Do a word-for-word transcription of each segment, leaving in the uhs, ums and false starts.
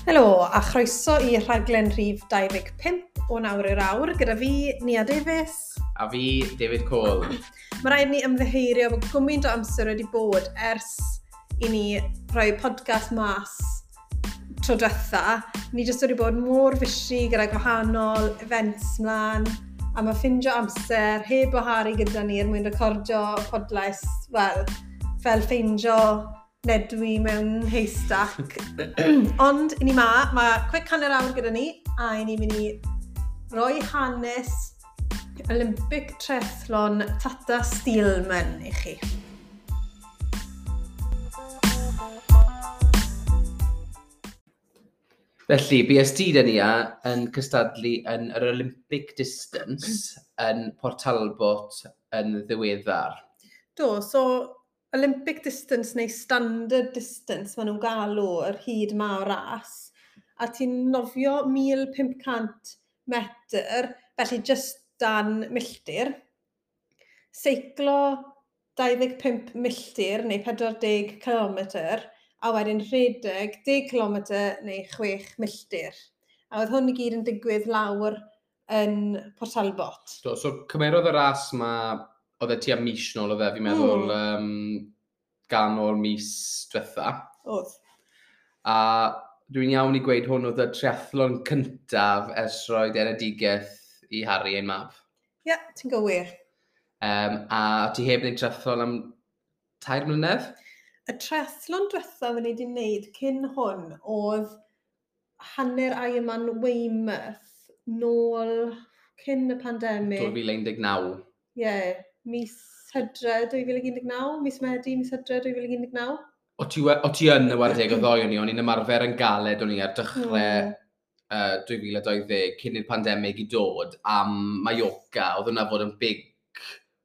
Helo, a chroeso i rhaglen rhif dau ddeg pump o Nawr i'r Awr, gyda fi, Nia Davies. A fi, David Cole. Mae rhaid ni ymddiheurio bod gymaint o amser wedi bod ers i ni rhoi podcast mas tro diwetha. Ni jyst wedi bod mor busy gyda gwahanol events mlaen, a mae ffindio amser heb o Harry gyda ni er mwyn recordio podlais, wel, fel ffeindio nedwy mewn haystack. Ond i ni ma, mae quick hanner awr gyda ni, a i ni'n mynd i roi hanes Olympic Triathlon Tata Steelman i chi. Felly, B S T da ni yn cystadlu yn yr Olympic Distance yn Port Talbot yn ddiweddar. Do, so Olympic Distance neu Standard Distance maen nhw'n galw yr hyd ma o ras, a ti'n nofio mil pump cant metr, felly just dan milltir, seiclo dau ddeg pump milltir neu pedwar deg kilometr, a wedyn rhedeg deg kilometr neu chwech milltir. A oedd hwn i gyd yn digwydd lawr yn Port Talbot. Do, so cymerodd y ras ma, oedd e tua mis nôl oedd e, fi'n meddwl, mm. um, ganol mis diwetha. Oedd. A dwi'n iawn i gweud hwn oedd y triathlon cyntaf ers rhoi enedigaeth i Harry ein mab. Ie, yeah, ti'n gywir. Um, a ti heb wneud triathlon am tair mlynedd? Y triathlon diwethaf o'n i wedi wneud cyn hwn oedd hanner Ironman Weymouth nôl cyn y pandemig. dwy fil un deg naw. Ie, yeah, mis Hydre dwy fil un deg naw, mis Medi, mis Hydre dwy fil un deg naw. O ti, o ti yn y wardeg o ddoi o'n i, o'n i'n ymarfer yn galed o'n i ar dechrau mm. uh, dwy fil a dau ddeg cyn i'r pandemig i dod am Mallorca. Oedd hwnna fod yn big,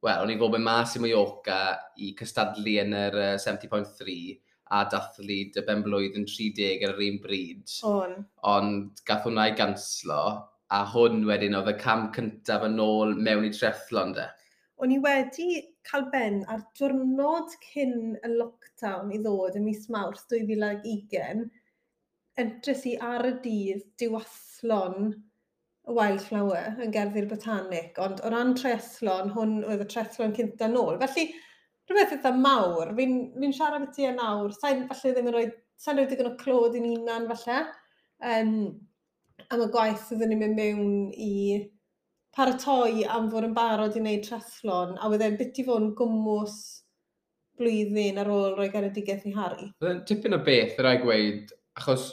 wel, o'n i fod yn mas i Mallorca i cystadlu yn yr uh, seventy point three a dathlu dy ben-blwydd yn tri deg ar yr un bryd. On. Ond gath hwnna i ganslo, a hwn wedyn oedd y cam cyntaf yn ôl mewn i triathlon de. O'n i wedi cael ben ar diwrnod cyn y lockdown i ddod ym mis Mawrth dwy fil ag ugain, entres i ar y dydd diwathlon y Wildflower yn Gerddi'r Botanic, ond o ran triathlon, hwn oedd y triathlon cynta nôl. Felly, rhywbeth eitha mawr, fi'n fi siarad beth ti e nawr, sa'n falle ddim yn rhoi, sa'n rhoi digon o clod i'n hunan falle, um, am y gwaith oedden ni'n mynd mewn i paratoi am fod yn barod i wneud triathlon, a wedd e'n bit i fod yn gwmws blwyddyn ar ôl rhoi genedigaeth i Harry. Oedd e'n tipyn o beth, yr rhaid gweud, achos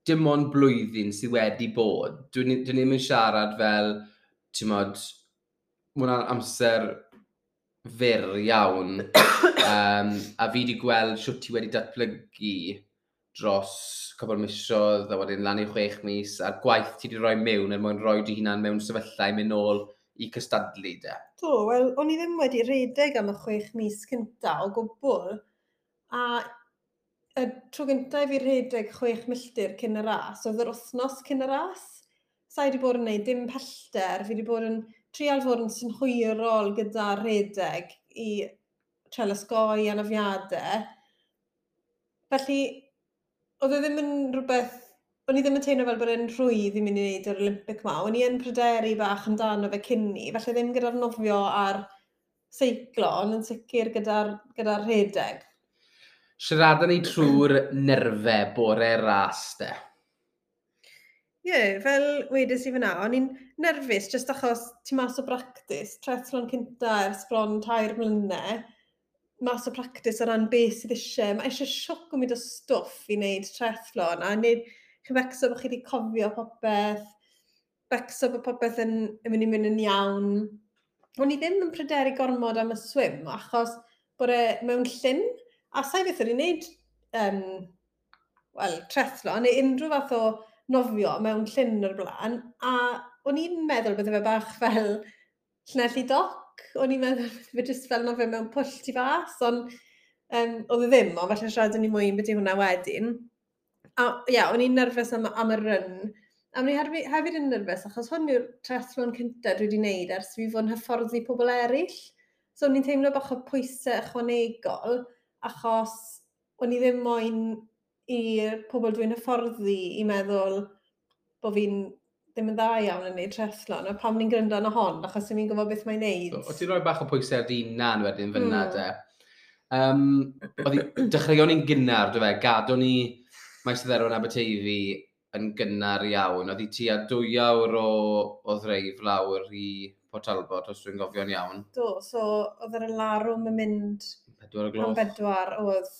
dim ond blwyddyn sydd wedi bod. Dwi'n dwi ddim yn siarad fel, ti'n modd, ma' hwnna'n amser fyr iawn. um, a fi wedi gweld shwt ti wedi datblygu dros cwpl o misoedd, a wedyn lan i chwech mis, a'r gwaith ti wedi rhoi mewn er mwyn rhoi dy hunan mewn sefyllfa i mynd nôl i cystadlu de. Do, wel, o'n i ddim wedi rhedeg am y chwech mis cynta o gwbl, a y tro gynta i fi rhedeg chwech milltir cyn y ras, oedd yr wythnos cyn y ras. Sa i wedi bod yn gwneud dim pellter, fi wedi bod yn trial fod yn synhwyrol gyda rhedeg i trial osgoi anafiadau. Felly, oedd e ddim yn rhywbeth, o'n i ddim yn teimlo fel bod e'n rhwydd i mynd i wneud yr Olympic ma. O'n i yn pryderu bach amdano fe cyn ni, felly ddim gyda'r nofio a'r seiclo, ond yn sicr gyda'r gyda rhedeg. Siaradon ni trwy'r nerfau bore ras de. Ie, yeah, fel wedes i fyna, o'n i'n nerfus jyst achos ti mas o bractis, triathlon cynta ers bron tair mlynedd, mas o practis o ran beth sydd eisiau. Mae eisiau sioc o mynd o stwff i wneud triathlon, a wneud, chi'n becso bod chi wedi cofio popeth, becso bod popeth yn, yn mynd i mynd yn iawn. O'n i ddim yn pryderu gormod am y swim, achos bod e mewn llyn, a sa'i beth o'n i'n wneud, um, wel, triathlon, neu unrhyw fath o nofio mewn llyn o'r blaen, a o'n i'n meddwl bydde fe bach fel Llanelli Dock, o'n i'n meddwl bydde fe jyst fel nofio mewn pwll tu fas, ond um, oedd e ddim, ond falle siarad ni mwy am beth yw hwnna wedyn. A ie, yeah, o'n i'n nerfus am, am y run, a o'n i hefyd, hefyd yn nerfus, achos hwn yw'r triathlon cyntaf dwi wedi wneud ers fi fod yn hyfforddi pobl eraill. So o'n i'n teimlo bach o pwysau ychwanegol, achos o'n i ddim moyn i'r pobl dwi'n hyfforddi i meddwl bod fi'n ddim yn dda iawn yn neud triathlon, a pam ni'n gryndo arno hon, achos ni'n gwybod beth mae'n neud. So, o ti'n rhoi bach o pwysau ar dy hunan wedyn fyna, mm. de. Um, oedd hi- dechreuon ni'n gynnar, do fe, gadon ni Maes y Dderwen Aberteifi yn gynnar iawn. Oedd hi tua dwy awr o, o ddreif lawr i Port Talbot, os dwi'n gofio'n iawn. Do, so oedd yr alarwm yn mynd Pedwar o am gloch. bedwar, oedd.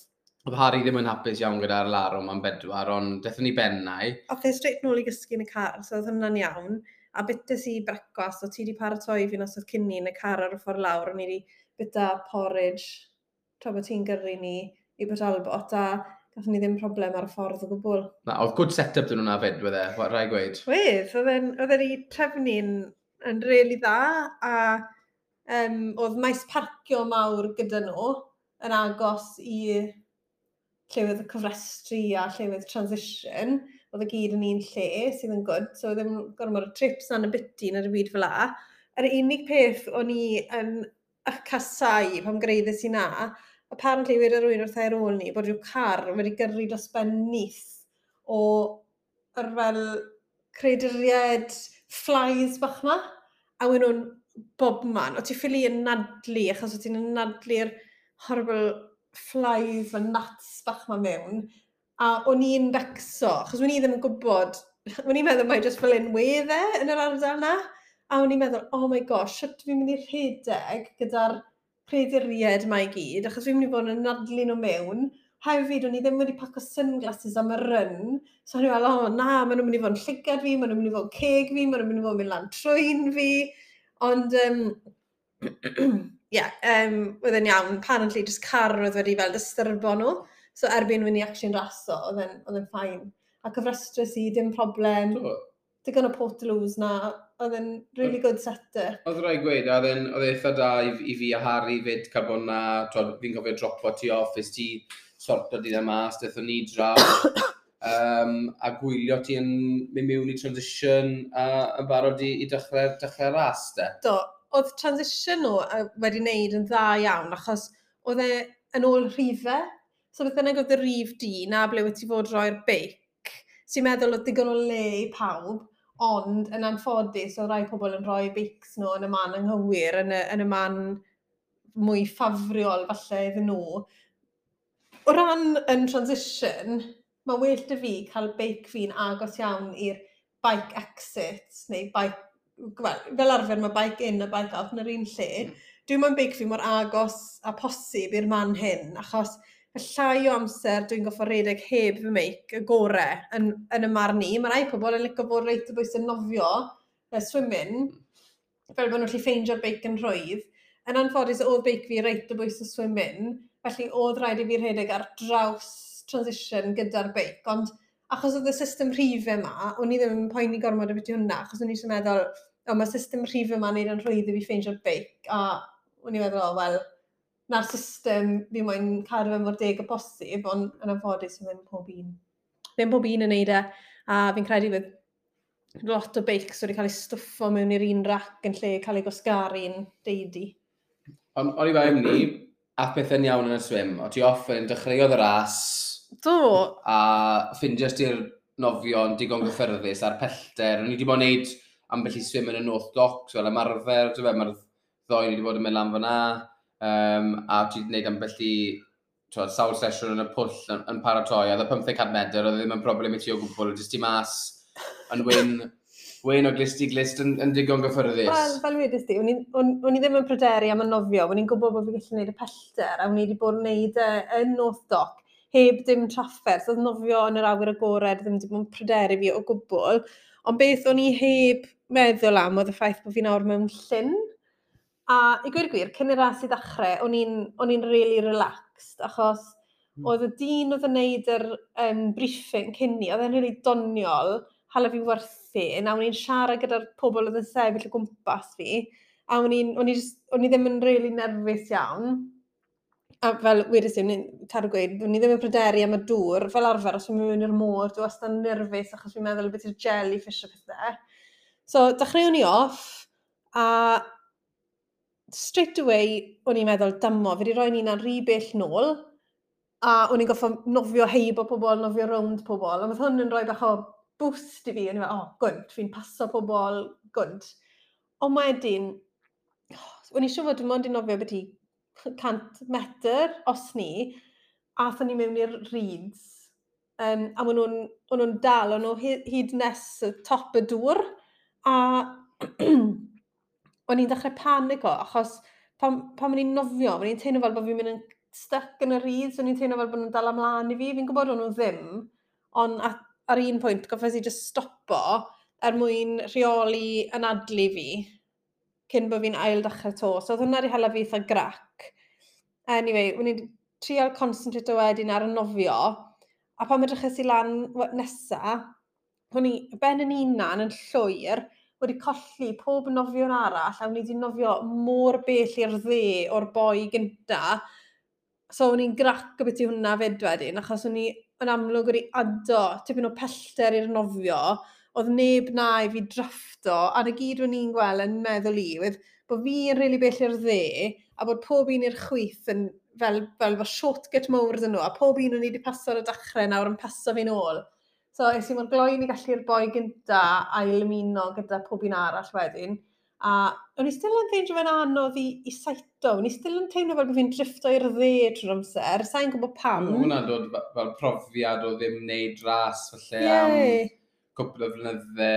Oedd Harry ddim yn hapus iawn gyda'r larwm am bedwar, ond dethon ni bennau. Ath e straight nôl i gysgu yn y car, so oedd hwnna'n iawn. A bytes i brecwast, o ti wedi paratoi fi nos oedd cyn ni yn y car ar y ffordd lawr, o'n i wedi byta porridge tra bod ti'n gyrru ni i Port Talbot, a gathon ni ddim problem ar y ffordd o gwbl. Na, oedd good set-up dyn nhw'na fyd, wedd e, rhaid gweud. Wedd, oedd e'n oedd e wedi trefnu'n yn really dda, a um, oedd maes parcio mawr gyda nhw yn agos i llefydd y cofrestru a llefydd transition. Oedd y gyd yn un lle, sydd yn good, so ddim gormod o trips na'n y biti na'r byd fel 'a. Yr unig peth o'n i yn y casau pan gyrhaeddes i na, apparently wedi rhywun wrth ar ôl ni bod rhyw car wedi gyrru dros ben nyth o yr fel creaduriaid flies bach ma, a wyn nhw'n bob man. O ti ffili anadlu, achos o ti'n anadlu'r horrible flies a gnats bach ma mewn. A o'n i'n becso, achos o'n i ddim yn gwybod, o'n i'n meddwl mai jyst fel un wedd e yn yr ardal na. A o'n i'n meddwl, "Oh my gosh, sut fi'n mynd i rhedeg gyda'r creaduriaid ma i gyd, achos fi'n mynd i fod yn anadlu nhw mewn." Hefyd, o'n i ddim wedi paco sunglasses am y run. So o'n i'n fel, "Oh na, maen nhw'n mynd i fod yn llygad fi, maen nhw'n mynd i fod yn ceg fi, maen nhw'n mynd i fod yn mynd lan trwyn fi." Ond, um, yeah, um, oedd e'n iawn. Apparently, just car oedd wedi fel dystyrbo nhw. So erbyn when i actually'n raso, oedd e'n oedd e'n fine. A cyfrestrus i, dim problem. Do. Digon o portaloos na, oedd e'n really good set-up. Oedd rhaid gweud, oedd e'n oedd e eitha da i, i fi a Harry fyd cael bod na, twod, fi'n cofio dropo ti off, es ti sorto di dda mas, dethon ni draw, um, a gwylio ti yn mynd mewn i transition a yn barod i, i dechrau, dechrau ras, de. Do, oedd transition nhw yy, wedi wneud yn dda iawn, achos oedd e yn ôl rhifau. So beth bynnag oedd y rhif di, na ble wyt ti fod roi'r beic, sy'n meddwl oedd digon o le i pawb, ond yn anffodus oedd rai pobl yn rhoi beics nhw yn y man anghywir, yn y, yn y man mwy ffafriol falle iddyn nhw. O ran yn transition, mae well 'da fi cael beic fi'n agos iawn i'r bike exit, neu bike, wel, fel arfer mae bike in a bike out yn yr un lle. Dwi'n moyn beic fi mor agos a posib i'r man hyn, achos y llai o amser dwi'n goffo redeg heb fy meic, y gore yn, yn y marn i. Mae rai pobl yn licio bod reit o bwys yn nofio, uh, swimming, fel bod nhw'n gallu ffeindio'r beic yn rhwydd. Yn anffodus, oedd beic fi reit o bwys y swimming, felly oedd rhaid i fi rhedeg ar draws transition gyda'r beic, ond achos oedd y system rhifau yma, o'n i ddim yn poeni gormod o beth hwnna, achos o'n i eisiau meddwl, "O, mae'r system rhifau yma'n neud yn rhwydd i fi ffeindio'r beic," a o'n i'n meddwl, "O, wel, na'r system fi moyn cadw fe mor deg o bosib," ond yn anffodus, ddim pob un. Ddim pob un yn neud e, a fi'n credu fydd lot o beics wedi cael eu stwffo mewn i'r un rac yn lle cael eu gwasgaru'n deidi. Ond o'n i fel ni, ath pethau'n iawn yn y swim. O ti off yn dechreuodd y ras, Do, a ffindios ti'r nofio'n digon gyffyrddus a'r pellter. O'n i wedi bod yn neud ambell i swim yn y North Docks, fel ymarfer, ti'n fe, mae'r ddoi ni wedi bod yn mynd lan fyna, um, a ti wedi gwneud ambell i twod, sawl sesiwn yn y pwll yn, yn paratoi, a oedd y pymtheg cant medr, oedd e ddim yn broblem i ti o gwbl, jyst ti mas yn wyn, wyn o glist i glist yn, yn digon gyffyrddus. Wel, fel wedys di, o'n i, o'n, o'n i ddim yn pryderu am y nofio, o'n i'n gwybod bod fi'n gallu gwneud y pellter, a o'n i wedi bod yn gwneud e yn North Dock, heb dim trafferth, oedd nofio yn yr awyr agored ddim wedi bod yn pryderu fi o gwbl. Ond beth o'n i heb meddwl am oedd y ffaith bod fi nawr mewn llyn. A i gweud y gwir, cyn i'r ras i ddechrau, o'n i'n o'n i'n really relaxed, achos Mm. oedd y dyn oedd yn neud yr um, briefing cyn ni, oedd e'n really doniol, hala fi werthu, a o'n i'n siarad gyda'r pobl oedd yn sefyll o gwmpas fi, a o'n i'n, o'n i, just, o'n i ddim yn really nerfus iawn. A fel wedes i, o'n i'n cadw gweud, o'n i ddim yn pryderu am y dŵr, fel arfer, os fi'n mynd mewn i'r môr, dwi wastad yn nerfus achos fi'n meddwl beth yw'r jellyfish o pethau. So, dechreuwn ni off, a straight away, o'n i'n meddwl, "Dymo, fi wedi rhoi ni'n rhy bell nôl," A o'n i'n goffo nofio heibo pobl, nofio rownd pobl. A oedd hwn yn rhoi bach o boost i fi. O'n i'n fel, "Oh, good, fi'n paso pobl, good." Ond wedyn, o'n i siŵr fod dim ond i nofio beth i cant metr, os ni, a aethon ni mewn i'r reeds. Um, a maen nhw'n nhw dal, o'n nhw hyd nes y top y dŵr. A o'n i'n dechrau panico, achos pan, pan o'n i'n nofio, o'n i'n teimlo fel bod fi'n mynd yn stuck yn y reeds, o'n i'n teimlo fel bod nhw'n dal ymlaen i fi. Fi'n gwybod o'n nhw ddim, ond ar, ar un pwynt goffes i just stopo er mwyn rheoli anadlu fi cyn bod fi'n ail dechrau to. So oedd hwnna wedi hala fi eitha grac. Anyway, o'n i'n trial concentrate wedyn ar y nofio, a pan edryches i lan nesa, o'n i ben yn unan yn llwyr, wedi colli pob nofiwr arall, a o'n i wedi nofio mor bell i'r dde o'r boi gynta. So o'n i'n grac o beth i hwnna fyd wedyn, achos o'n i yn amlwg wedi ado tipyn o pellter i'r nofio, oedd neb na i fi drafto, a na gyd o'n i'n gweld yn meddwl i, oedd bod fi'n rili really bell i'r dde, a bod pob un i'r chwith yn fel, fel fel shortcut mawr dyn nhw, a pob un o'n i wedi paso ar y dechrau nawr yn paso fi'n ôl. So es i mor gloi ni gallu'r boi gynta ail ymuno gyda pob un arall wedyn. A o'n i still yn ffeindio fe'n anodd i, i saito. O'n i still yn teimlo fel bod fi'n drifto i'r dde trwy'r amser. Sa'n gwybod pam. Mae hwnna'n dod fel profiad o ddim wneud ras falle yeah. am cwpl o flynydde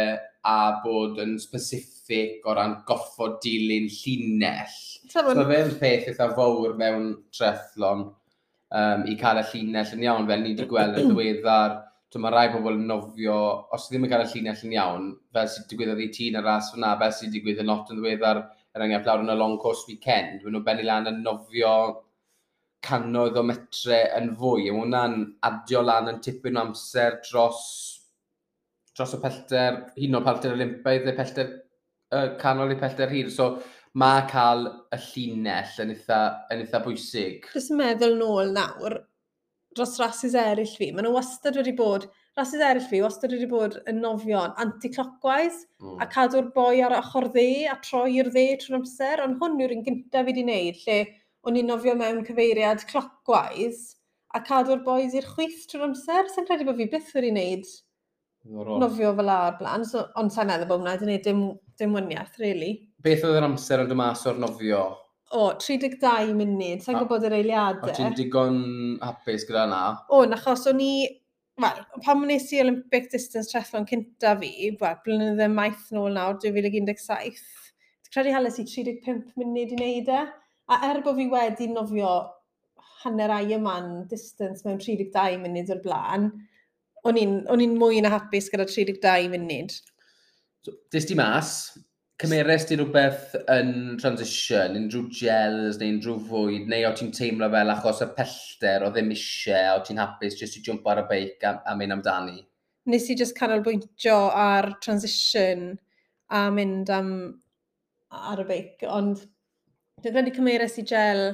a bod yn specific o ran goffod dilyn llinell. So mae fe'n peth eitha fawr mewn triathlon um, i cael y llinell yn iawn, fel ni wedi gweld yn ddiweddar. So mae rai pobl yn nofio, os ddim yn cael y llinell yn iawn, fel sydd digwyddodd i ti yn y ras fyna, fel sydd digwydd yn lot yn ddiweddar, er enghraifft lawr yn y long course weekend, maen nhw'n bennu lan yn nofio cannoedd o metre yn fwy. A mae hwnna'n adio lan yn tipyn o amser dros, dros y pellter, hyd yn oed pellter Olympaidd neu pellter uh, canol i pellter hir. So mae cael y llinell yn eitha, yn eitha bwysig. Jyst yn meddwl nôl nawr, dros rases eraill fi, maen nhw wastad wedi bod, rases eraill fi wastad wedi bod yn nofio'n anti-clockwise mm. a cadw'r boi ar ochr dde a troi i'r dde trwy'r amser, ond hwn yw'r un gyntaf fi wedi wneud, lle o'n i'n nofio mewn cyfeiriad clockwise a cadw'r boys i'r chwith trwy'r amser. Sa'n credu bod fi byth wedi wneud nofio fel o'r blaen, so, ond sa'n meddwl bod hwnna wedi gwneud dim, dim waniaeth, really. Beth oedd yr amser yn dod mas o'r nofio? O, tri deg dau munud, sa'n gwybod yr eiliadau. O, ti'n digon hapus gyda na? O, achos o'n i... Wel, pan wnes i Olympic Distance Triathlon cynta fi, wel, blynydde maith nôl nawr, dwy fil un deg saith, dwi'n credu hales i tri deg pump munud i wneud e. A er bod fi wedi nofio hanner Ironman distance mewn tri deg dau munud o'r blaen, o'n i'n mwy na hapus gyda tri deg dau munud. So, des di mas, cymeres di rhywbeth yn transition, unrhyw gels neu unrhyw fwyd, neu o ti'n teimlo fel achos y pellter o ddim eisiau, o ti'n hapus jyst i jump ar y beic a, a mynd amdani? Nes i just canolbwyntio ar transition a mynd am ar y beic, ond dwi'n credu cymeres i gel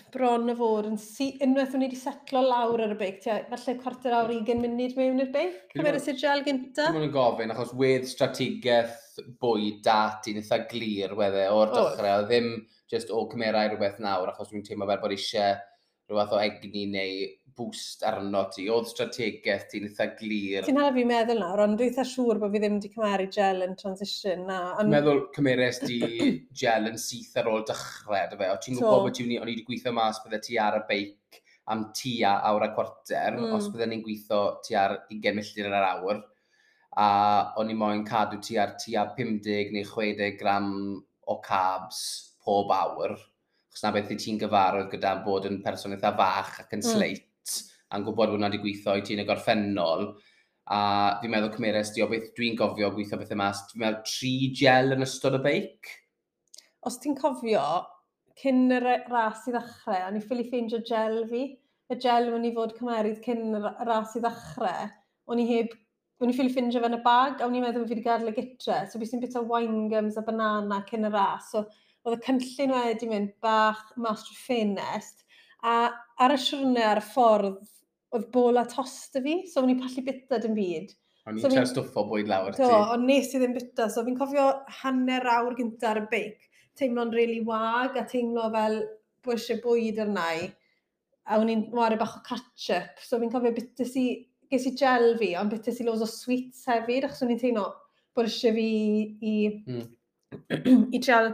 bron o fod yn si, unwaith o'n i wedi setlo lawr ar y beic, tua, falle cwarter awr, ugain munud mewn i'r beic, cymeres i'r gel gynta. Dwi'n yn gofyn, achos wedd strategaeth bwyd da ti'n eitha glir wedde o'r dechrau, oedd ddim just o cymerau rhywbeth nawr, achos dwi'n teimlo fel bod eisiau rhywbeth o egni neu boost arno ti. Oedd strategaeth ti'n eitha glir. Ti'n hala fi meddwl nawr, ond dwi'n eitha siŵr bod fi ddim wedi cymeru gel yn transition. Na, ond... Meddwl cymeres di gel yn syth ar ôl dechrau, dy fe? O ti'n gwybod bod ti'n o'n i wedi gweithio mas bydde ti ar y beic am tua awr a cwarter, mm. os bydde ni'n gweithio ti ar ugain milltir yr awr, a o'n i moyn cadw ti ar tua pum deg neu chwe deg gram o carbs pob awr, achos na beth i ti'n gyfarwydd gyda bod yn person eitha fach ac yn mm. sleit, a'n gwybod bod hwnna wedi gweithio i ti yn y gorffennol, a fi'n meddwl cymeres di o beth dwi'n gofio gweithio bethau mas, fi'n meddwl tri gel yn ystod y beic. Os ti'n cofio, cyn y ras i ddechrau, o'n i ffili ffeindio gel fi. Y gel o'n i fod cymeryd cyn y ras i ddechrau, o'n i heb o'n i ffili ffindio fe yn y bag, a o'n i'n meddwl bod fi wedi gadael y gytre. So bys i'n bita wine gums a banana cyn y ras. So oedd y cynllun wedi mynd bach mas trwy ffenest. A ar y siwrne ar y ffordd, oedd bol a tost y fi, so o'n i'n pallu bita dim byd. O'n i'n so trio stwffo bwyd lawr ti. Do, ond nes i ddim bita. So fi'n cofio hanner awr gynta ar y beic, teimlo'n really wag a teimlo fel bod eisiau bwyd arna i. A o'n i'n ware bach o catch-up, so fi'n cofio bites i, ges i gel fi, ond bites i loads o sweets hefyd, achos o'n i'n teimlo bod eisiau fi i, mm. i trial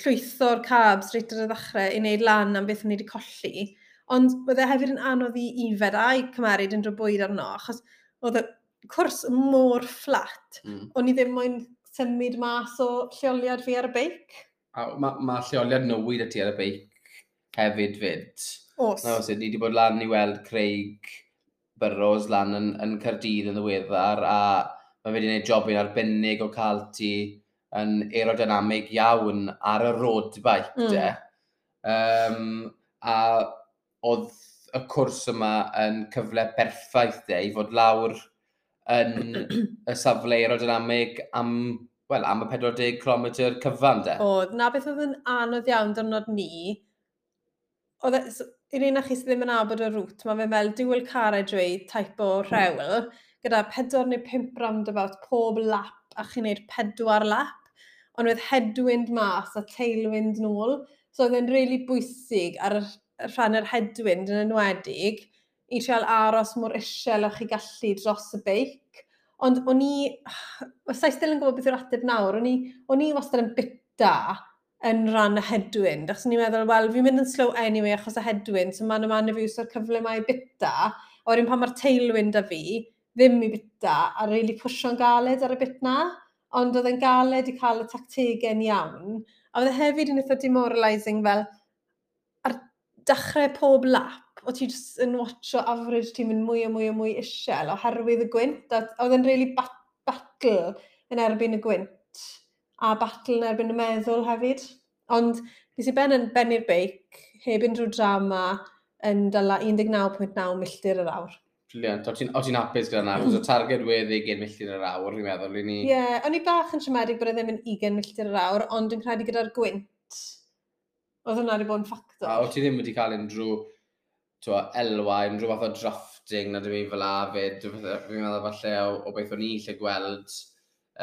llwytho'r carbs reit ar y ddechrau i wneud lan am beth o'n i wedi colli. Ond oedd e hefyd yn anodd i ifed a i cymeryd unrhyw bwyd arno, achos oedd y cwrs mor fflat, mm. o'n i ddim moyn symud mas o lleoliad fi ar y beic. A mae ma lleoliad newid y ti ar y beic hefyd fyd. Os. Na, os ni wedi bod lan i weld Craig Burrows lan yn, yn Caerdydd yn ddiweddar, a mae wedi gwneud jobyn arbennig o cael ti yn aerodynamig iawn ar y road bike, mm. de. Um, a oedd y cwrs yma yn cyfle perffaith, de, i fod lawr yn y safle aerodynamig am, wel, am y pedwar deg cilometr cyfan, de. Oedd, na beth oedd yn anodd iawn diwrnod ni, oedd, e, i'r un o chi sydd ddim yn nabod y route, mae fe fel dual carriageway type o rhewl, gyda pedwar neu pump roundabout pob lap, a chi'n neud pedwar lap, ond oedd headwind mas a tailwind nôl, so oedd e'n really bwysig ar y rhan yr headwind yn enwedig, i trial aros mor isel â chi gallu dros y beic. Ond o'n i, os i still yn gwybod beth yw'r ateb nawr, o'n i, o'n i wastad yn bita yn rhan y headwind, achos o'n i'n meddwl, wel, fi'n mynd yn slow anyway achos y headwind, so mae'n yma fi o'r cyfle mae i bita, a wedyn pan mae'r tailwind a fi, ddim i bita, a really pwsio'n galed ar y bit na, ond oedd e'n galed i cael y tactegau'n iawn. A oedd e hefyd yn eitha demoralising fel, ar dechrau pob lap, o ti jyst yn watcho average ti'n mynd mwy a mwy a mwy isel oherwydd y gwynt, a oedd e'n really bat battle yn erbyn y gwynt, a battle yn erbyn y meddwl hefyd. Ond nes i ben yn bennu'r beic, heb unrhyw drama, yn dala un deg naw pwynt naw milltir yr awr. Brilliant. O ti'n ti hapus gyda na? Achos y targed wedd ugain milltir yr awr, fi'n meddwl, i ni. Ie, yeah, o'n i bach yn siomedig bod e ddim yn ugain milltir yr awr, ond yn credu gyda'r gwynt, oedd hwnna wedi bod yn ffactor. A o ti ddim wedi cael unrhyw twa, elwa, unrhyw fath o drafting na dim i fel a fyd. Fi'n meddwl falle o, o beth o'n i lle gweld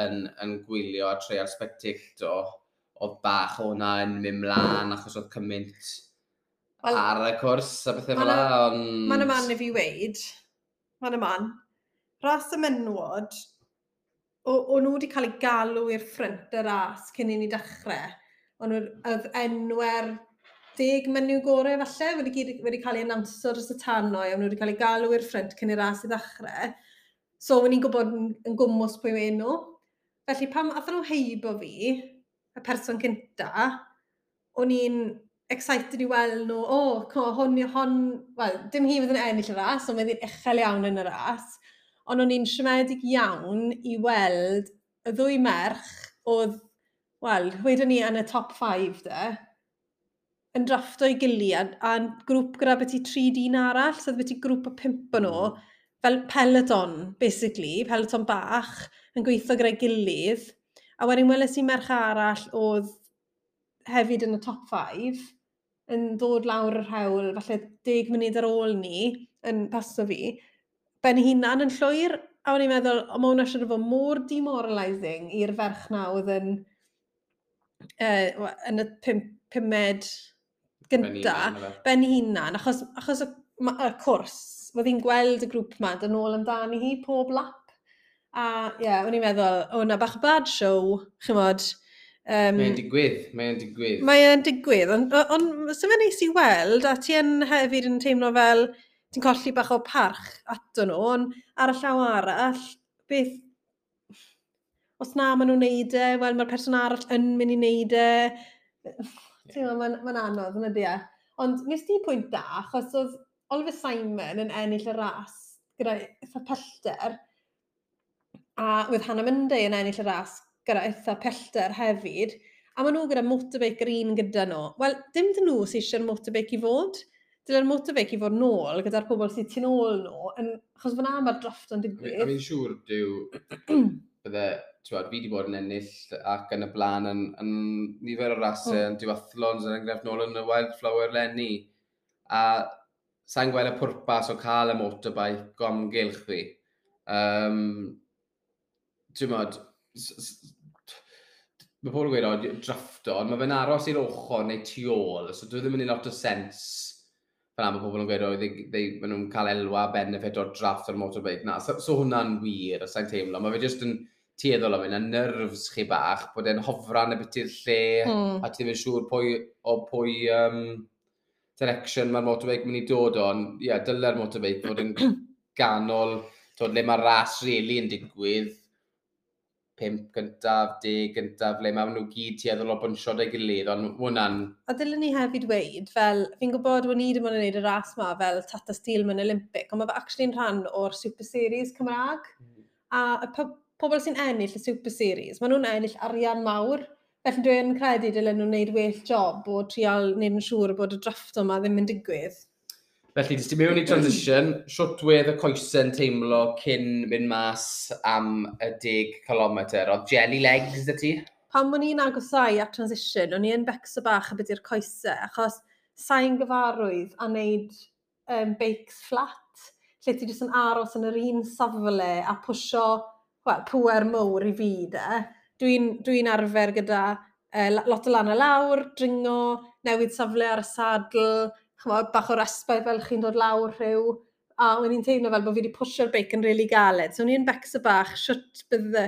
yn, yn gwylio a treial spectato, oedd bach o hwnna yn mynd mlaen achos oedd cymaint well, ar y cwrs a bethau fel la, ond. Mae'n y man i fi weid, mae'n y man, ras y menwod, o, o nhw wedi cael eu galw i'r ffrynt y ras cyn i ni dechrau. O'n nhw, oedd enwau'r deg menyw gorau falle wedi, gyd, wedi cael ei annawnsio dros y tannoy, o'n nhw wedi cael eu galw i'r ffrynt cyn i'r ras i ddechrau. So, o'n i'n gwybod yn, yn gwmws pwy yw enw. Felly, pam athyn nhw heibo fi, y person cynta, o'n i'n excited i weld nhw, o, oh, hon, hon, wel, dim hi fydd yn ennill y ras, ond fydd hi'n uchel iawn yn y ras. Ond o'n i'n siomedig iawn i weld y ddwy merch oedd, wel, wedyn ni yn y top five de, yn drafto i gilydd a, a grŵp gyda beth i tri dyn arall, so oedd beth i grŵp o pump o nhw, mm. fel peloton, basically, peloton bach, yn gweithio gyda'i gilydd. A wedyn weles i merch arall oedd hefyd yn y top five, yn dod lawr yr hewl, falle deg munud ar ôl ni, yn paso fi, ben hunan yn llwyr, a o'n i'n meddwl, o, mae hwnna siŵr o fod mor demoralising i'r ferch na oedd yn, uh, yn y pum, pumed gynta, ben hunan, achos, achos y, y cwrs, oedd hi'n gweld y grŵp ma, dyn nôl amdani hi pob lap. A ie, yeah, o'n i'n meddwl, o na bach o bad show, chymod. Um, mae'n digwydd, mae'n digwydd. Mae'n digwydd, ond on, on, so fe'n neis i weld, a ti yn hefyd yn teimlo fel ti'n colli bach o parch ato nhw, ond ar y llaw arall, beth, os na maen nhw'n neud e, wel mae'r person arall yn mynd i neud e. Ti'n meddwl, mae'n ma anodd, yn ydy e. Ond nes di pwynt da, achos oedd Oliver Simon yn ennill y ras gyda eitha pellter, a oedd Hannah Munday yn ennill y ras gyda eitha pellter hefyd, a maen nhw gyda motorbike yr un gyda nhw. Wel, dim dyn nhw sydd eisiau'r motorbike i fod. Dyle'r motorbike i fod nôl gyda'r pobl sydd tu nôl nhw, yn, achos fyna mae'r draft yn digwydd. A fi'n siŵr, dyw, bydde, ti'n fi wedi bod yn ennill ac yn y blaen yn, yn nifer o rasau, mm. yn duathlons, yn enghraifft nôl yn y Wildflower leni. A sa'n gweld y pwrpas o cael y motorbike o amgylch fi. Um, ti'n modd, mae pobl yn gweud, o, drafto, ond mae fe'n aros i'r ochr neu tu ôl, so dwi ddim yn neud lot o sens. Fel am, mae pobl yn gweud, "O, they, they, maen nhw'n cael elwa benefit o'r draft o'r motorbike." Na, so, so hwnna'n wir, os sa'n teimlo. Mae fe jyst yn tueddol am hyn, a nerves chi bach, bod e'n hofran y bit i'r lle, Mm. a ti ddim yn siŵr pwy, o pwy um, direction mae'r motorbike mynd i dod o. Ond ie, yeah, dyle'r motorbike fod yn ganol, twyd, le mae'r ras really yn digwydd, pump gyntaf, deg gyntaf, le mae nhw gyd tueddol o bwnsio 'da'i gilydd, ond hwnna'n A dylen ni hefyd weud, fel, fi'n gwybod bod ni ddim ond yn gwneud y ras ma fel Tata Steel mewn Olympic, ond mae fe actually'n rhan o'r Super Series Cymraeg. A y po pobl sy'n ennill y Super Series, maen nhw'n ennill arian mawr. Felly dwi'n credu dylen nhw'n gwneud well job o trial wneud yn siŵr bod y drafft yma ddim yn digwydd. Felly, jyst i mewn i transition, shwt wedd y coesau'n teimlo cyn mynd mas am y deg kilometr? Oedd jelly legs 'da ti? Pan o'n i'n agosau at transition, o'n i yn becso bach y beth i'r coesau, achos sa'n gyfarwydd a wneud um, beics flat, lle ti jyst yn aros yn yr un safle a pwsio, wel, pwer mowr i fi de. Dwi'n dwi arfer gyda uh, lot o lan a lawr, dringo, newid safle ar y sadl, ch'mod, bach o respite fel chi'n dod lawr rhyw, a o'n i'n teimlo fel bod fi wedi pwsio'r beic yn really galed. So o'n i'n becso bach, shwt bydde,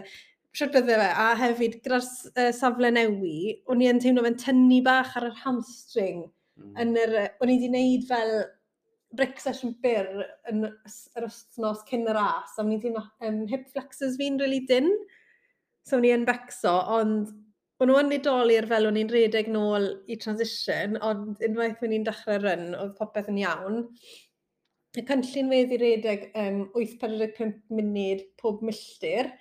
shwt bydde fe. A hefyd, gyda'r uh, safle newi, o'n i yn teimlo fe'n tynnu bach ar yr hamstring. Mm. Yn yr, o'n i wedi gwneud fel brick session byr yn yr wythnos cyn y ras, a o'n i'n teimlo um, hip flexors fi'n really dyn. So o'n i yn becso, ond o'n nhw yn nidoli'r fel o'n i'n redeg nôl i transition, ond unwaith o'n i'n dechrau run, oedd popeth yn iawn. Y cynllun wedd i redeg um, wyth pedwar pump munud pob milltir,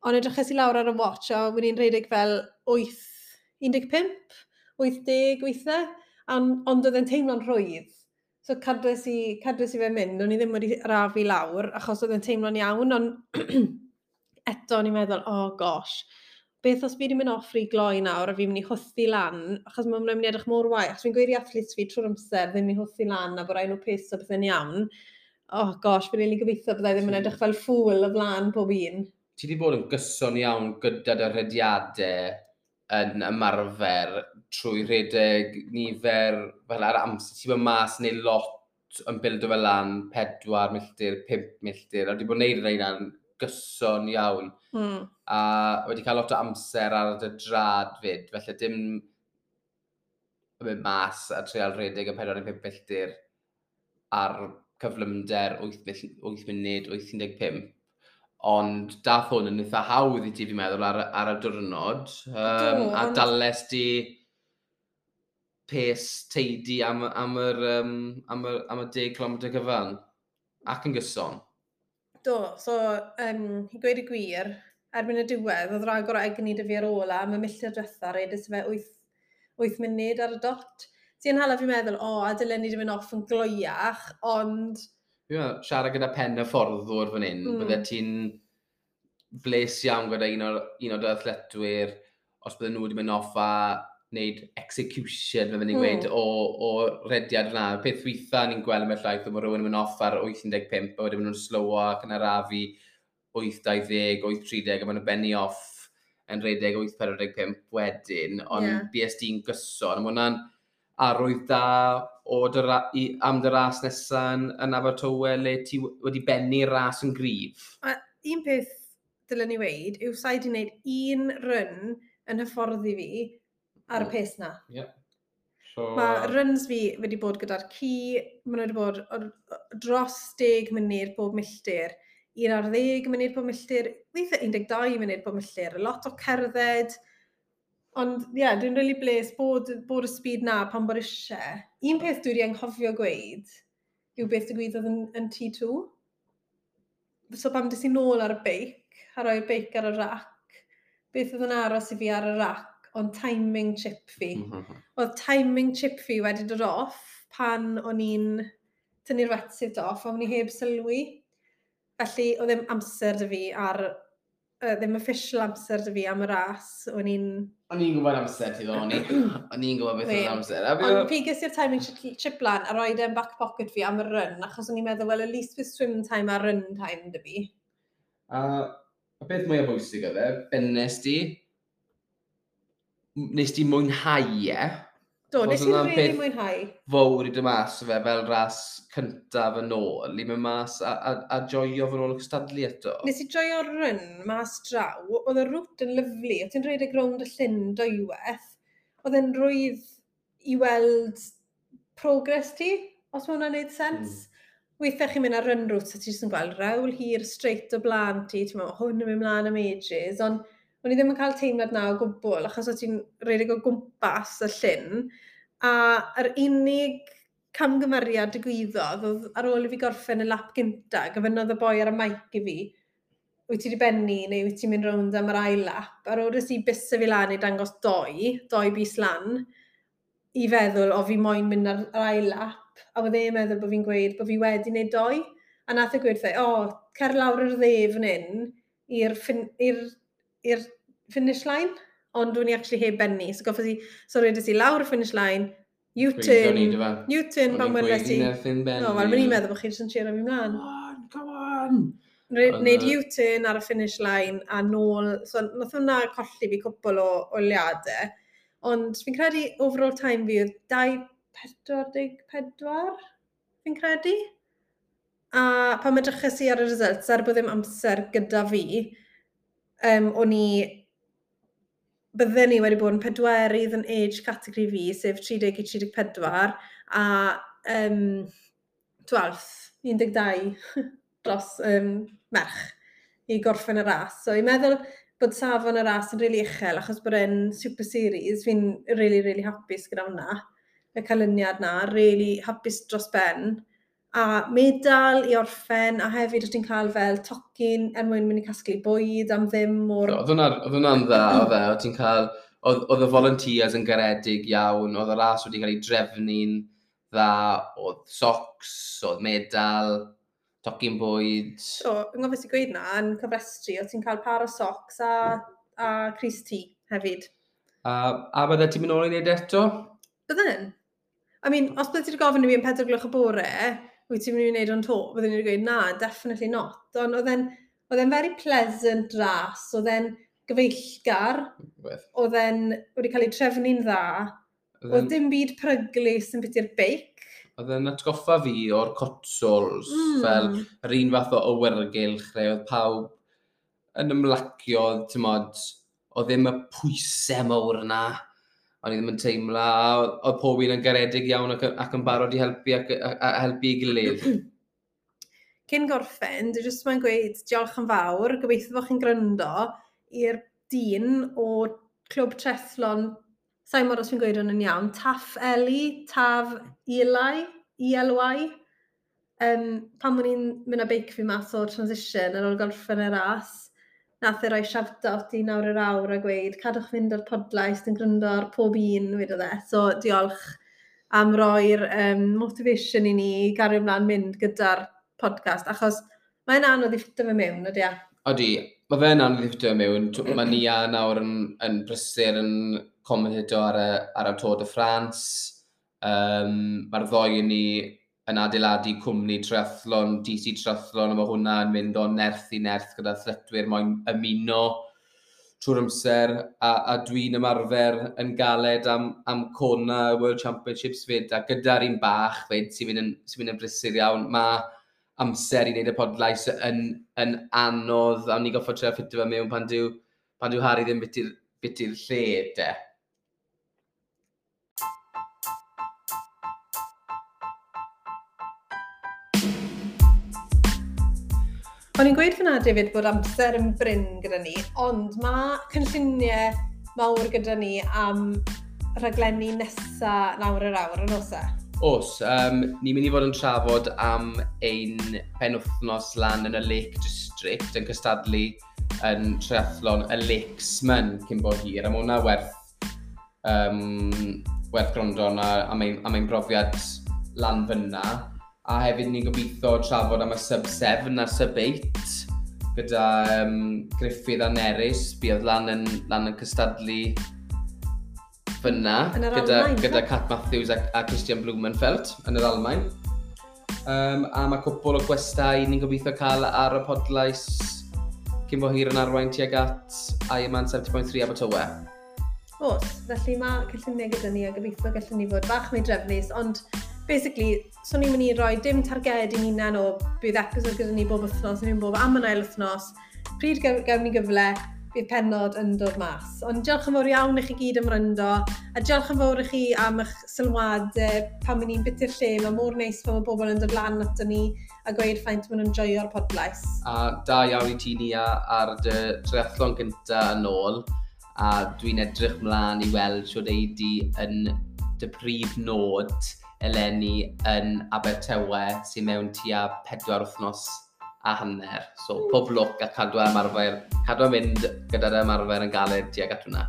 ond edryches i lawr ar y watch a o'n i'n redeg fel wyth un deg pump, wyth deg weithiau, ond, ond oedd e'n teimlo'n rhwydd. So cadwes i, cadwes i fe mynd, o'n i ddim wedi arafu lawr, achos oedd e'n teimlo'n iawn, ond eto o'n i'n meddwl, "Oh gosh, beth os fi wedi mynd off rhy gloi nawr a fi'n mynd i hwthu lan, achos mae'n mynd i edrych mor wael, achos fi'n gweud i athletes fi trwy'r amser ddim i hwthu lan a bod rhaid nhw pace o bethau'n iawn. Oh gosh, fi'n rili gobeithio byddai ddim yn edrych fel ffŵl o flaen pob un." Ti wedi bod yn gyson iawn gyda dy rediadau yn ymarfer trwy rhedeg nifer fel ar amser. Ti'n bod mas neu lot yn bildo fel lan, pedwar milltir, pump milltir, a wedi bod yn neud rheina'n gyson iawn. Mm. A wedi cael lot o amser ar dy drad fyd, felly dim yn mynd mas a treial rhedeg y pedwar neu pump milltir ar cyflymder wyth munud, wyth un deg pump. Ond dath hwn yn eitha hawdd i ti, fi'n meddwl, ar, ar y diwrnod. Um, Do, a ond- dales di pace teidi am, am, yr, um, am, yr, am y deg kilometr cyfan. Ac yn gyson. Do, so um, i gweud y gwir, erbyn y diwedd, oedd rhagor o egni 'da fi ar ôl a am y milltir diwetha, redes fe wyth wyth munud ar y dot. Sy'n hala fi meddwl, o, a dylen ni wedi mynd off yn gloiach, ond Fi'n meddwl, siarad gyda pen y fforddwr fan hyn, Mm. mm. bydde ti'n bles iawn gyda un o'r, un o'r dy athletwyr, os bydden nhw wedi mynd off a wneud execution, fel ni'n Mm. gweud, o, o rediad yna. Peth weitha ni'n gweld yn llaeth, bod rhywun yn mynd off ar wyth un deg pump, a wedyn maen nhw'n slowo ac yn arafu wyth dau ddeg, wyth tri deg, a maen nhw'n benni off yn redeg wyth pedwar pump wedyn, ond Ie. yeah. B S D'n gyson, a ma' hwnna'n arwydd da o dy ra i, am dy ras nesaf yn, yn Abertawe le ti wedi bennu ras yn gryf. A un peth dylen ni weud yw sa'i wedi gwneud un run yn hyfforddi fi ar y Mm. pace na. Yeah. So, Mae runs fi wedi bod gyda'r ci, maen nhw wedi bod o- dros deg munud bob milltir, un ar ddeg munud bob milltir, weithiau un deg dau munud bob milltir, lot o cerdded. Ond ie, yeah, dwi'n really bles bod, bod y speed na pan bod eisiau. Un peth dwi wedi anghofio gweud yw beth digwyddodd yn, yn T two. So pan des i nôl ar y beic, a roi'r beic ar y rac, beth oedd yn aros i fi ar y rac, ond timing chip fi. Mm -hmm. Oedd timing chip fi wedi dod off pan o'n i'n tynnu'r wetsuit off, a o'n i heb sylwi. Felly, oedd ddim amser 'da fi ar, uh, ddim official amser 'da fi am y ras. O'n i'n O'n i'n gwybod amser ti ddo, o'n i. O'n i'n gwybod beth oedd Wel, amser. A fi- Ond piges i'r timing chip, chip lan a roed e'n back pocket fi am y run, achos o'n i'n meddwl, well, at least with swim time a run time 'da fi. A y peth mwyaf bwysig oedd e, bennes di, nes di mwynhau e, Do, nes i'n really mwynhau. Fawr i dy mas fe fel ras cyntaf yn ôl, i mynd mas a, a, a joio fy ôl y cystadlu eto. Nes i joio'r run mas draw, oedd y route yn lyfli, oedd ti'n rhedeg rownd y llyn dwywaith, oedd e'n rwydd i weld progress ti, os mae hwnna'n neud sens. Mm. Weithiau chi'n mynd ar run route a ti jyst yn gweld rewl hir straight o blaen ti, ti'n meddwl, hwn yn mynd mlaen am ages, ond o'n i ddim yn cael teimlad na o gwbl, achos o ti'n rhedeg o gwmpas y llyn, a yr unig camgymeriad digwyddodd oedd ar ôl i fi gorffen y lap gynta, gofynnodd y boi ar y mic i fi, wyt ti wedi bennu neu wyt ti'n mynd rownd am yr ail lap? Ar ôl i bysau fi lan i dangos doi, doi bys lan, i feddwl o fi moyn mynd ar yr ail lap, a oedd e'n meddwl bod fi'n gweud bod fi wedi wneud doi, a nath e gweud o, oh, cer lawr yr dde fan hyn i'r fin, i'r finish line, ond dwi'n i actually heb benni. So goffes i, so redes i lawr y finish line, U-turn, U-turn pan weles i. No, wel, mae'n i'n meddwl bod chi jyst yn cheero fi mlaen. Come on, come on! Wneud U-turn ar y finish line a nôl, so nath hwnna colli fi cwpl o eiliadau. Ond fi'n credu overall time fi oedd dau pedwar deg pedwar, fi'n credu. A pan edryches i ar y results, er bod ddim amser gyda fi, um, o'n i, bydden ni wedi bod yn pedwerydd yn age category fi, sef tri deg i tri deg pedwar, a um, twelfth, un deg dau dros um, merch i gorffen y ras. So i'n meddwl bod safon y ras yn really uchel, achos bod e'n Super Series, fi'n really, really hapus gyda hwnna, y canlyniad na, really hapus dros ben. A medal i orffen, a hefyd o ti'n cael fel tocyn er mwyn mynd i casglu bwyd am ddim o'r... Oedd hwnna'n dda, oedd e, oedd ti'n cael, oedd, oedd y volunteers yn garedig iawn, oedd y ras wedi cael ei drefnu'n dda, oedd socks, oedd medal, tocyn bwyd. So, yng ngofys i gweud na, yn cyfrestru, oedd ti'n cael par o socks a, a crys T hefyd. A, a bydde ti'n mynd ôl i wneud eto? Bydden. I mean, os bydde ti wedi gofyn i fi yn pedwar gloch y bore, wyt ti'n mynd i wneud o'n to? Bydden ni wedi gweud, na, definitely not. Ond oedd e'n oedd e'n very pleasant ras, oedd e'n gyfeillgar, oedd e'n wedi cael ei trefnu'n dda, oedd dim byd peryglus yn biti'r beic. Oedd e'n atgoffa fi o'r Cotswolds, mm. fel yr un fath o awyrgylch, lle oedd pawb yn ymlacio, ti'n mod, oedd ddim y pwysau mawr yna, o'n i ddim yn teimlo, oedd pob un yn garedig iawn ac, ac yn barod i helpu ac, a, a helpu i gilydd. Cyn gorffen, dwi jyst mae'n gweud diolch yn fawr, gobeithio bod chi'n gryndo i'r dyn o Clwb Triathlon, sa'n mor os fi'n gweud hwn yn iawn, Taff Eli, Taf Eli, E L Y. Um, pan o'n i'n mynd â beic fi mas o'r transition ar ôl gorffen y ras, nath e roi shout-out i nawr yr awr a gweud, cadwch fynd o'r podlais, yn gryndo ar pob un, wedodd e. So diolch am roi'r um, motivation i ni i gario ymlaen mynd gyda'r podcast, achos mae'n anodd i ffitio fe mewn, ydy e? Odi, mae fe'n anodd i ffitio fe mewn. Mae Nia nawr yn, yn brysur yn commentato ar y, ar y Tour de France. Um, mae'r ddoi yn ni yn adeiladu cwmni triathlon, D C Triathlon, a mae hwnna yn mynd o nerth i nerth gyda athletwyr moyn ymuno trwy'r amser, a, a dwi'n ymarfer yn galed am, am Kona World Championships fyd, a gyda'r un bach fyd sy'n mynd yn, sy mynd yn brysur iawn, mae amser i wneud y podlais yn, yn anodd, a ni goffod trio ffitio fe mewn pan dyw, pan dyw Harry ddim biti'r biti'r lle, de. O'n i'n gweud fyna, David, bod amser yn brin gyda ni, ond mae cynlluniau mawr gyda ni am rhaglenni nesa nawr yr awr yn oes e? Oes, um, ni'n mynd i fod yn trafod am ein penwythnos lan yn y Lake District yn cystadlu yn triathlon y Lakesman cyn bo hir, a mae hwnna werth, um, werth gwrando am ein, am ein brofiad lan fyna. A hefyd ni'n gobeithio trafod am y sub seven a sub eight gyda um, Gruffydd a Nerys, buodd lan yn, lan yn cystadlu fyna gyda, Almain, gyda Cat Matthews a, a Christian Blumenfeld yn yr Almain. Um, a mae cwpl o gwestai ni'n gobeithio cael ar y podlais cyn bo hir yn arwain tuag at Ironman seventy point three Abertawe. Oes, felly mae cynlluniau gyda ni a gobeithio gallwn ni fod bach mwy drefnus, ond basically, so ni'n mynd i roi dim targed i'n hunain o bydd episod gyda ni bob wythnos, neu bob am yn ail wythnos. Pryd gawn ni gyfle, bydd pennod yn dod mas. Ond diolch yn fawr iawn i chi gyd am wrando, a diolch yn fawr i chi am eich sylwadau pan ni'n byty'r lle. Mae mor neis pan mae bobl yn dod lan ato ni a gweud faint maen nhw'n joio'r podlais. A da iawn i ti, Nia, ar dy triathlon gynta yn ôl, a dwi'n edrych mlaen i weld siwr ei di yn dy prif nod eleni yn Abertawe sy'n mewn tua pedwar wythnos a hanner. So mm. pob lwc a cadw ymarfer, cadw mynd gyda'r ymarfer yn galed tuag at hwnna.